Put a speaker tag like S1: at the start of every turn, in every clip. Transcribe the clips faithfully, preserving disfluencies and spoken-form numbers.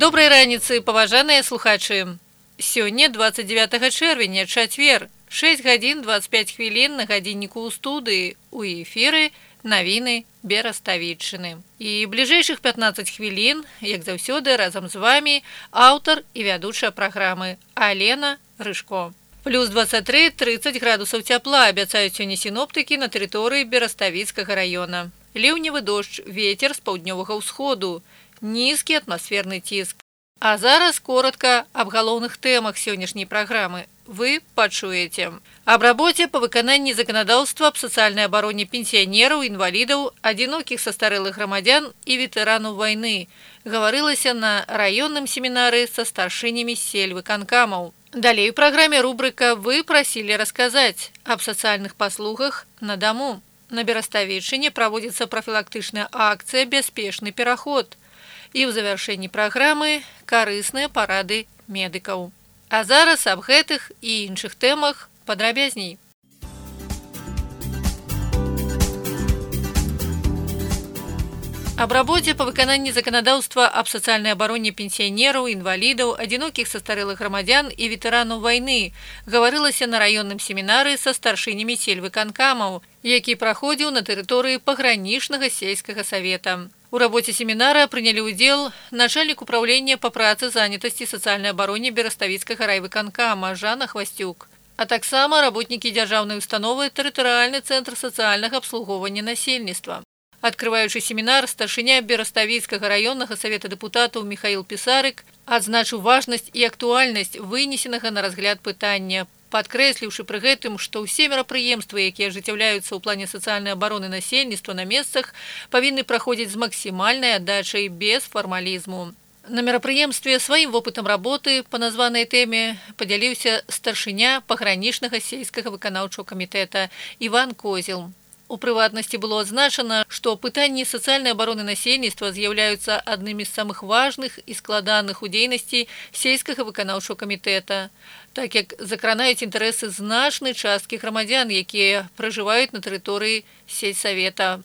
S1: Добрай раніцы, паважаныя слухачы. Сёння двадцать девятого чэрвеня, чацвер, шесть гадзін двадцать пять хвілін на гадзінніку ў студыі, у эфіры навіны Бераставіччыны. І бліжэйшых пятнадцать хвілін, як заўсёды, разам з вамі аўтар і вядучая праграмы Алена Рыжко. Плюс двадцать три - тридцать градусаў цяпла абяцаюць сёння сіноптыкі на тэрыторыі Бераставіцкага раёна. Ліўневы дождж, вецер з паўднёвага ўсходу, нізкі атмасферны ціск. А зараз коротко аб галоўных тэмах сённяшняй праграмы. Вы пачуеце. Аб рабоце па выкананні заканадаўства аб сацыяльнай абароне пенсіянераў, інвалідаў, адзінокіх састарэлых грамадзян і ветэранаў вайны гаварылася на раённым семінары са старшынямі сельвыканкамаў. Далей у праграме рубрыка «Вы прасілі расказаць» аб сацыяльных паслугах на даму. На Бераставіччыне праводзіцца прафілактычная акцыя «Бяспечны пераход». І ў завяршэнні праграмы карысныя парады медыкаў. А зараз аб гэтых і іншых тэмах падрабязней. Аб рабоце па выкананні заканадаўства аб сацыяльнай абароне пенсіянераў, інвалідаў, адзінокіх састарэлых грамадзян і ветэранаў вайны гаварылася на раённым семінары са старшынямі сельвыканкамаў, які праходзіў на тэрыторыі пагранічнага сельскага савета. У рабоце семінара прынялі ўдзел начальнік управлення па працы, занятасці, сацыяльнай абароне Бераставіцкага райвыканкама Жанна Хвасцюк, а таксама работнікі дзяржаўнай установы тэрытарыяльны цэнтр сацыяльнага абслугоўвання насельніцтва. Адкрываючы семінар, старшыня Бераставіцкага раённага савета дэпутатаў Міхаіл Пісарык адзначыў важнасць і актуальнасць вынесенага на разгляд пытання, падкрэсліўшы пры гэтым, што ўсе мерапрыемствы, якія ажыццяўляюцца ў плане сацыяльнай абароны насельніцтва на месцах, павінны праходзіць з максімальнай аддачай без фармалізму. На мерапрыемстве сваім вопытам работы па названай тэме падзяліўся старшыня пагранічнага сельскага выканаўчага камітэта Іван Козел. У прыватнасці было адзначана, што пытанні сацыяльнай абароны насельніцтва з'яўляюцца аднымі з самых важных і складаных у дзейнасці сельскага выканаўчага камітэта, так як закранаюць інтарэсы значнай часткі грамадзян, якія пражываюць на тэрыторыі сельсавета.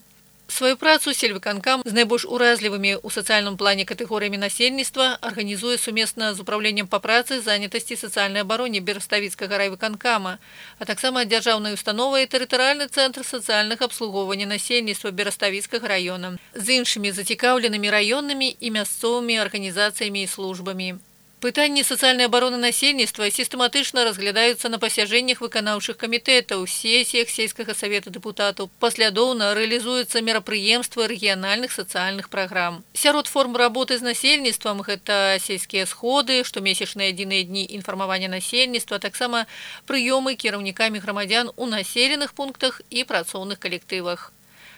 S1: Сваю працу сельвыканкам з найбольш уразлівымі ў сацыяльным плане катэгорыямі насельніцтва арганізуе сумесна з управленнем па працы, занятасці, сацыяльнай абароне Бераставіцкага райвыканкама, а таксама дзяржаўнай установай тэрытарыяльны цэнтр сацыяльнага абслугоўвання насельніцтва Бераставіцкага раёна з іншымі зацікаўленымі раённымі і мясцовымі арганізацыямі і службамі. Пытанні сацыяльнай абароны насельніцтва сістэматычна разглядаюцца на пасяджэннях выканаўчых камітэтаў, сесіях сельскага савета дэпутатаў, паслядоўна рэалізуюцца мерапрыемствы рэгіянальных сацыяльных праграм. Сярод форм работы з насельніцтвам гэта сельскія сходы, штомесячныя адзіныя дні інфармавання насельніцтва, таксама прыёмы кіраўнікамі грамадзян у населеных пунктах і працоўных калектывах.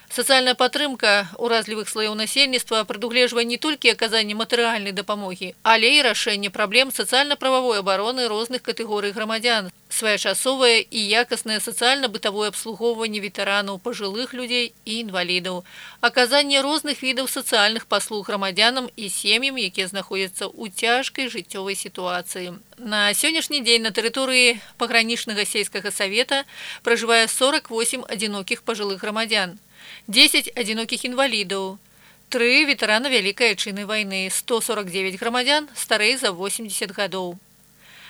S1: Сацыяльная падтрымка уразлівых слояў насельніцтва прадугледжвае не толькі аказанне матэрыяльнай дапамогі, але і рашэнне праблем сацыяльна-прававой абароны розных катэгорый грамадзян, своечасовае і якаснае сацыяльна-бытавое абслугоўванне ветэранаў, пажылых людзей і інвалідаў, аказанне розных відаў сацыяльных паслуг грамадзянам і сем'ям, якія знаходзяцца ў цяжкай жыццёвай сітуацыі. На сённяшні дзень на тэрыторыі пагранічнага сельскага савета пражывае сорок восемь адзінокіх пажылых грамадзян, дзесяць адзінокіх інвалідаў, тры ветэрана Вялікай Айчыннай вайны, сто сорок девять грамадзян старэй за восемьдесят гадоў.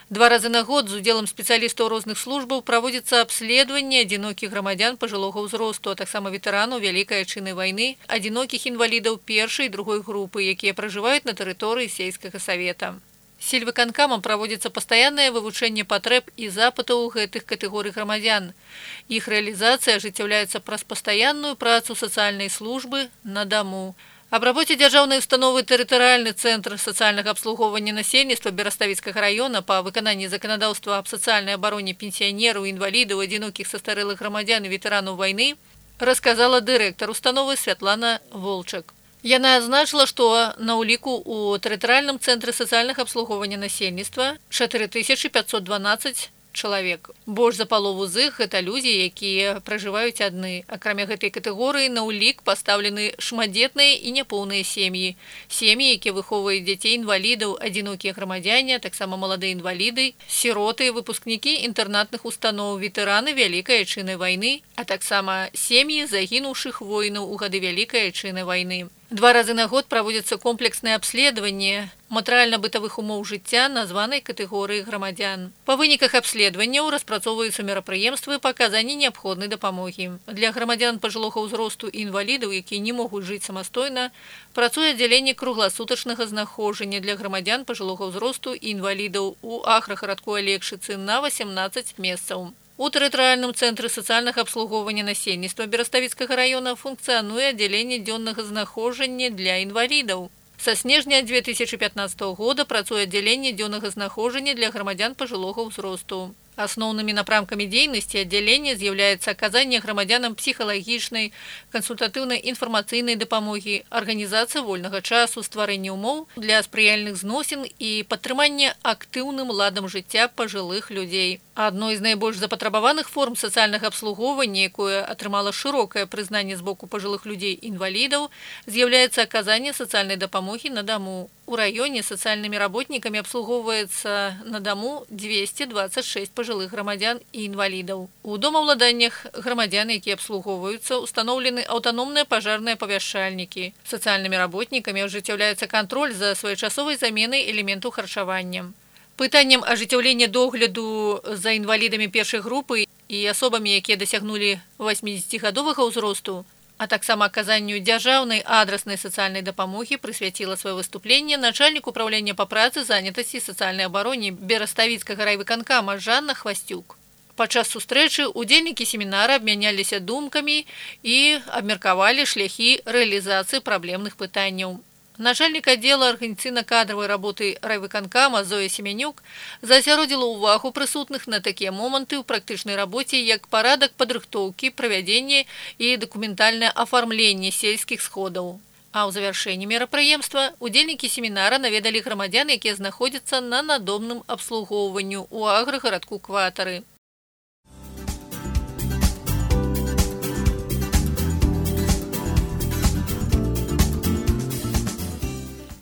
S1: Два разы на год з удзелам спецыялістаў розных службаў праводзіцца абследаванне адзінокіх грамадзян пажылога ўзросту, а таксама ветэранаў Вялікай Айчыннай вайны, адзінокіх інвалідаў першай і другой групы, якія пражываюць на тэрыторыі сельскага савета. Сельвыканкамам праводзіцца пастаяннае вывучэнне патрэб і запытаў гэтых катэгорый грамадзян. Іх рэалізацыя ажыццяўляецца праз пастаянную працу сацыяльнай службы на даму. Аб рабоце дзяржаўнай установы тэрытарыяльны цэнтр сацыяльнага абслугоўвання насельніцтва Бераставіцкага раёна па выкананні заканадаўства аб сацыяльнай абароне пенсіянераў, інвалідаў, адзінокіх састарэлых грамадзян і ветэранаў вайны расказала дырэктар установы Святлана Волчак. Яна адзначыла, што на ўліку ў тэрытарыяльным цэнтры сацыяльнага абслугоўвання насельніцтва чатыры тысячы пятьсот дванадцать чалавек. Больш за палову з іх гэта людзі, якія пражываюць адны. Акрамя гэтай катэгорыі на ўлік пастаўлены шматдзетныя і няпоўныя сем'і. Сем'і, якія выхоўваюць дзяцей інвалідаў, адзінокія грамадзяне, таксама маладыя інваліды, сіроты, выпускнікі інтэрнатных устаноў, ветэраны Вялікай Айчыннай вайны, а таксама сем'і загінуўшых воінаў у гады Вялікай Айчыннай вайны. Два разы на год праводзіцца комплекснае абследаванне матэрыяльна-бытавых умоў жыцця названай катэгорыі грамадзян. Па выніках абследаванняў распрацоўваюцца мерапрыемствы па аказанні неабходнай дапамогі. Для грамадзян пажылога ўзросту і інвалідаў, якія не могуць жыць самастойна, працуе аддзяленне кругласутачнага знаходжання для грамадзян пажылога ўзросту і інвалідаў у аграгарадку Алекшыцы на васемнаццаць месцаў. У тэрытарыяльным цэнтры сацыяльнага абслугоўвання насельніцтва Бераставіцкага раёна функцыянуе аддзяленне дзённага знаходжання для інвалідаў. Са снежня две тысячи пятнадцатого года працуе аддзяленне дзённага знаходжання для грамадзян пажылога ўзросту. Асноўнымі напрамкамі дзейнасці аддзялення з'яўляецца аказанне грамадзянам псіхалагічнай, кансультатыўнай інфармацыйнай дапамогі, арганізацыя вольнага часу, стварэнне ўмоў для спрыяльных зносін і падтрыманне актыўным ладам жыцця пажылых людзей. Адной з найбольш запатрабаваных форм сацыяльнага абслугоўвання, якое атрымала шырокае прызнанне з боку пажылых людзей-інвалідаў, з'яўляецца аказанне сацыяльнай дапамогі на даму. У раёне сацыяльнымі работнікамі абслугоўваецца на даму двести двадцать шесть пажылых грамадзян і інвалідаў. У домаўладаннях грамадзян, якія абслугоўваюцца, устаноўлены аўтаномныя пажарныя павяшчальнікі. Сацыяльнымі работнікамі ажыццяўляецца кантроль за своечасовай заменай элементаў харчавання. Пытаннем ажыццяўлення догляду за інвалідамі першай групы і асобамі, якія дасягнулі васьмідзесяцігадовага ўзросту, а таксама аказанню дзяржаўнай адраснай сацыяльнай дапамогі прысвяціла сваё выступленне начальнік управлення па працы, занятасці і сацыяльнай абароне Бераставіцкага райвыканкама Жанна Хвасцюк. Падчас сустрэчы удзельнікі семінара абмяняліся думкамі і абмеркавалі шляхі рэалізацыі праблемных пытанняў. Начальник отдела организаційно-кадровой работы райвыканкама Зоя Семенюк засяродзіла ўвагу прысутных на такія моманты ў практычнай рабоце, як парадак падрыхтоўкі, правядзення і дакументальнае афармленне сельскіх сходаў. А ў завяршэнні мерапрыемства удзельнікі семінара наведалі грамадзян, якія знаходзяцца на надомным абслугоўванню ў аграгарадку Кватары.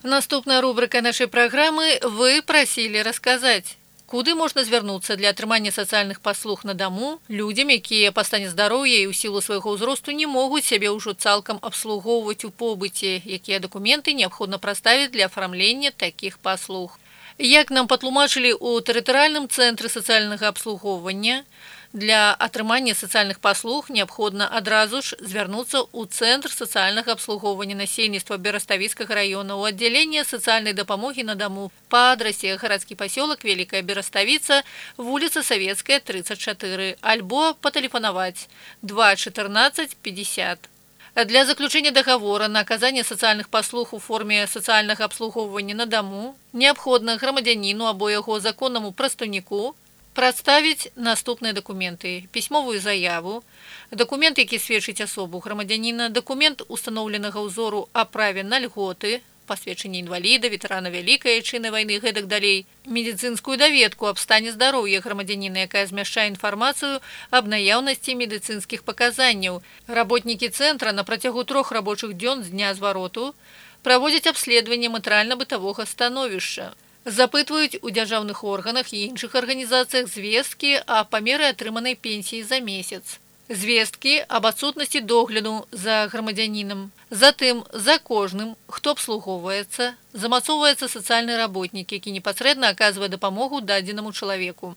S1: Наступная рубрика нашей программы «Вы просили рассказать». Куды можна звярнуцца для атрымання сацыяльных паслуг на даму людзям, якія па стане здароўя і ў сілу свайго ўзросту не могуць сябе ўжо цалкам абслугоўваць у побыце, якія дакументы неабходна прадставіць для афармлення такіх паслуг. Як нам патлумачылі ў тэрытарыяльным цэнтры сацыяльнага абслугоўвання, для атрымання сацыяльных паслуг неабходна адразу ж звярнуцца ў цэнтр сацыяльнага абслугоўвання насельніцтва Бераставіцкага раёна ў аддзяленне сацыяльнай дапамогі на даму па адрасе гарадскі пасёлак Великая Бераставіца, вуліца Савецкая, тридцать четыре, альбо патэлефанаваць два чатырнаццаць пятьдесят. Для заключения договора на оказание социальных послуг у форме социального обслуговывания на дому необходно громадянину або яго законному прадстаўніку прадставіць наступныя документы: пісьмовую заяву, документ, які сведчыць асобу грамадзяніна, документ установленага ўзору о праве на льготы, посведчанне інваліда, ветэрана Вялікай Айчыннай вайны, гэтак далей, медицинскую даведку аб стане здароўя грамадзяніна, якая змяшчае інфармацыю аб наяўнасці медыцынскіх паказанняў. Работнікі цэнтра на працягу трох рабочых дзён з дня звароту праводзяць абследаванне матэрыяльна-бытавога становішча, запытваюць у дзяржаўных органах і іншых арганізацыях звесткі аб памеры атрыманай пенсіі за месяц, звесткі аб адсутнасці догляду за грамадзянінам. Затым за кожным, хто абслугоўваецца, замацоўваецца сацыяльны работнік, які непасрэдна аказвае дапамогу дадзенаму чалавеку.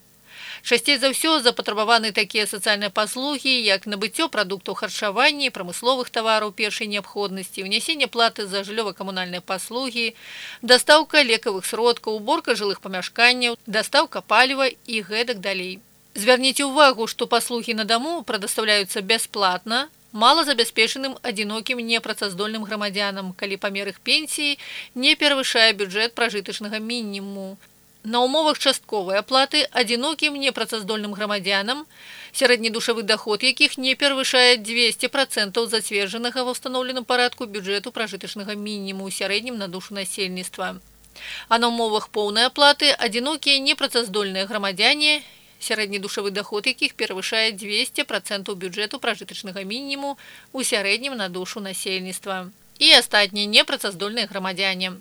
S1: Часцей за ўсё запатрабаваны такія сацыяльныя паслугі, як набыццё прадуктаў харчавання і прамысловых тавараў першай неабходнасці, ўнясенне платы за жыллёва-камунальныя паслугі, дастаўка лекавых сродкаў, уборка жылых памяшканняў, дастаўка паліва і гэтак далей. Звярніце ўвагу, што паслугі на даму прадастаўляюцца бясплатна малазабяспечаным адзінокім непрацаздольным грамадзянам, калі памер іх пенсіі не перавышае бюджэт пражытачнага мінімуму. На умовах частковай аплаты адзінокім непрацаздольным грамадзянам, сярэдні душавы доход якіх не перавышае двести процентов зацверджанага ва ўстаноўленым парадку бюджэту пражытачнага мінімуму ў сярэднім на душу насельніцтва. А на умовах поўнай аплаты адзінокія непрацаздольныя грамадзяне, сярэдні душавы доход якіх перавышае двести процентов бюджэту пражытачнага мінімуму ў сярэднім на душу насельніцтва. І астатнія непрацаздольныя грамадзяне.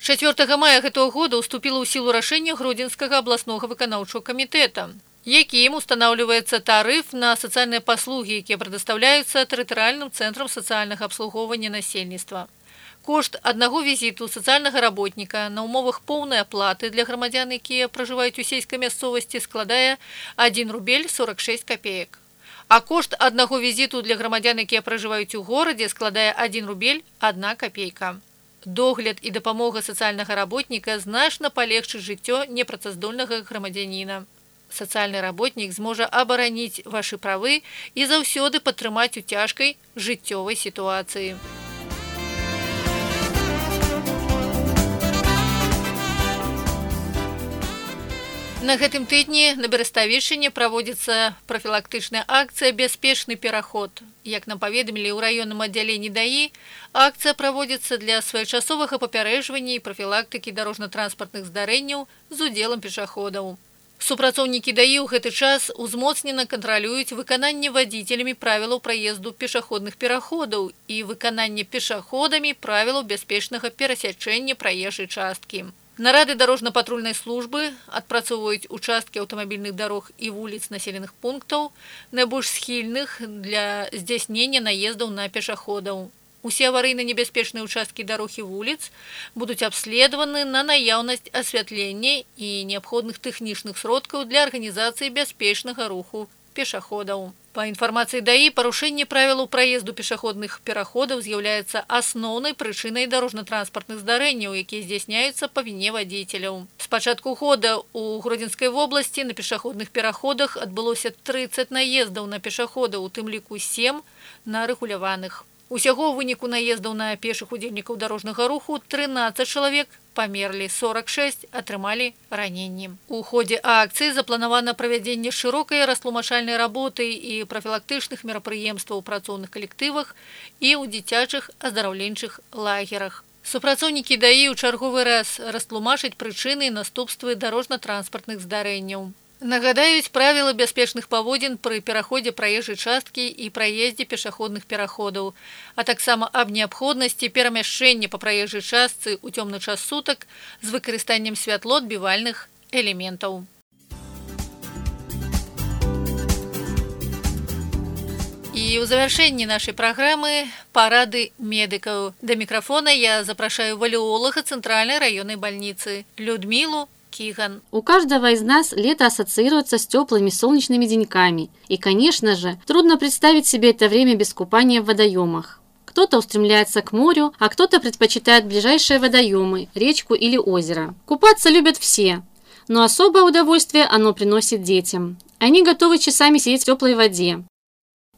S1: чацвёртага мая гэтага года уступіла ў сілу рашэнне Гродзенскага абласнога выканаўчага камітэта, якім устанаўліваецца тарыф на сацыяльныя паслугі, якія прадастаўляюцца тэрытарыяльным цэнтрам сацыяльнага абслугоўвання насельніцтва. Кошт аднаго візіту сацыяльнага работніка на ўмовах поўнай аплаты для грамадзян, якія пражываюць у сельскай мясцовасці, складае адзін рубель сорок шэсць капеек. А кошт аднаго візіту для грамадзян, якія пражываюць у горадзе, складае адзін рубель адна капейка. Догляд і дапамога сацыяльнага работніка значна палегчыць жыццё непрацаздольнага грамадзяніна. Сацыяльны работнік зможа абараніць вашы правы і заўсёды падтрымаць у цяжкай жыццёвай сітуацыі. На гэтым тыдні на Бераставішчыне праводзіцца прафілактычная акцыя «Бяспечны пераход». Як нам паведамілі ў раённым аддзяленні ДАІ, акцыя праводзіцца для своечасовага папярэджвання і прафілактыкі дарожна-транспартных здарэнняў з удзелам пешаходаў. Супрацоўнікі ДАІ ў гэты час узмоцнена кантралююць выкананне вадзіцелямі правілаў праезду пешаходных пераходаў і выкананне пешаходамі правілаў бяспечнага перасячэння праезжай часткі. Нарады дарожна-патрульнай службы адпрацоўваюць участкі аўтамабільных дарог і вуліц населеных пунктаў, найбольш схільных для здзяйснення наездаў на пешаходаў. Усе аварыйна-небяспечныя участкі дарог і вуліц будуць абследаваны на наяўнасць асвятлення і неабходных тэхнічных сродкаў для арганізацыі бяспечнага руху пешаходаў. Па інфармацыі ДАІ, парушэнне правілаў праезду пешаходных пераходаў з'яўляецца асноўнай прычынай дарожна-транспартных здарэнняў, якія здзяйсняюцца па віне вадзіцеляў. З пачатку года ў Гродзенскай вобласці на пешаходных пераходах адбылося трыццаць наездаў на пешаходаў, у тым ліку сем на рэгуляваных. Усяго ў выніку наездаў на пешых удзельнікаў дарожнага руху трынаццаць чалавек памерлі, сорок шэсць атрымалі раненні. У ходзе акцыі запланавана правядзенне шырокай растлумачальнай работы і прафілактычных мерапрыемстваў у працоўных калектывах і ў дзіцячых аздараўленчых лагерах. Супрацоўнікі ДАІ ў чарговы раз растлумачаць прычыны і наступствы дарожна-транспартных здарэнняў. Нагадаюць правілы бяспечных паводзін пры пераходзе праезжай часткі і праездзе пешаходных пераходаў, а таксама аб неабходнасці перамяшчэння па праезжай частцы ў цёмны час сутак з выкарыстаннем святлоадбівальных элементаў. І ў завяршэнні нашай праграмы парады медыкаў. Да мікрафона я запрашаю валеолага Цэнтральнай раённай бальніцы Людмілу Киган.
S2: У каждого из нас лето ассоциируется с теплыми солнечными деньками. И, конечно же, трудно представить себе это время без купания в водоемах. Кто-то устремляется к морю, а кто-то предпочитает ближайшие водоемы, речку или озеро. Купаться любят все, но особое удовольствие оно приносит детям. Они готовы часами сидеть в теплой воде.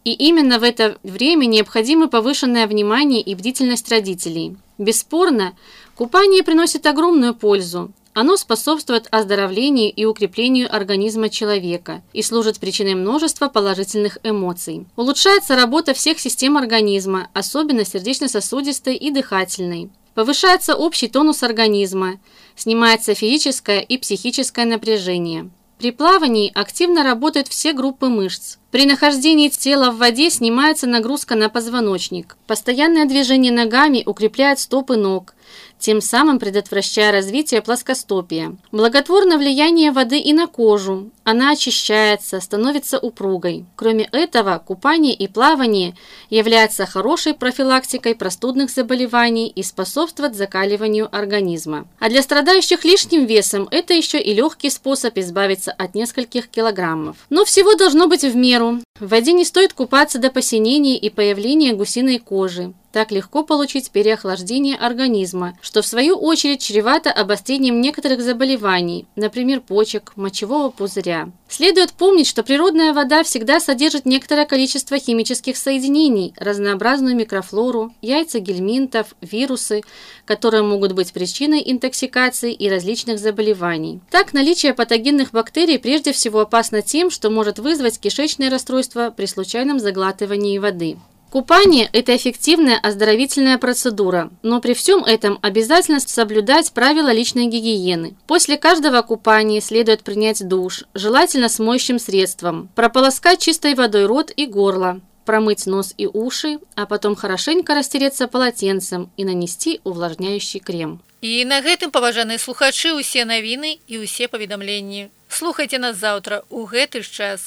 S2: И именно в это время необходимо повышенное внимание и бдительность родителей. Бесспорно, купание приносит огромную пользу. Оно способствует оздоровлению и укреплению организма человека и служит причиной множества положительных эмоций. Улучшается работа всех систем организма, особенно сердечно-сосудистой и дыхательной. Повышается общий тонус организма, снимается физическое и психическое напряжение. При плавании активно работают все группы мышц. При нахождении тела в воде снимается нагрузка на позвоночник. Постоянное движение ногами укрепляет стопы ног, тем самым предотвращая развитие плоскостопия. Благотворно влияние воды и на кожу. Она очищается, становится упругой. Кроме этого, купание и плавание являются хорошей профилактикой простудных заболеваний и способствуют закаливанию организма. А для страдающих лишним весом это еще и легкий способ избавиться от нескольких килограммов. Но всего должно быть в меру. В воде не стоит купаться до посинения и появления гусиной кожи. Так легко получить переохлаждение организма, что в свою очередь чревато обострением некоторых заболеваний, например, почек, мочевого пузыря. Следует помнить, что природная вода всегда содержит некоторое количество химических соединений, разнообразную микрофлору, яйца гельминтов, вирусы, которые могут быть причиной интоксикации и различных заболеваний. Так, наличие патогенных бактерий прежде всего опасно тем, что может вызвать кишечные расстройства при случайном заглатывании воды. Купание – это эффективная оздоровительная процедура, но при всем этом обязательно соблюдать правила личной гигиены. После каждого купания следует принять душ, желательно с моющим средством, прополоскать чистой водой рот и горло, промыть нос и уши, а потом хорошенько растереться полотенцем и нанести увлажняющий крем.
S1: І на гэтым, паважаныя слухачы, усе навіны і усе паведамленні. Слухайце нас заўтра у гэты ж час.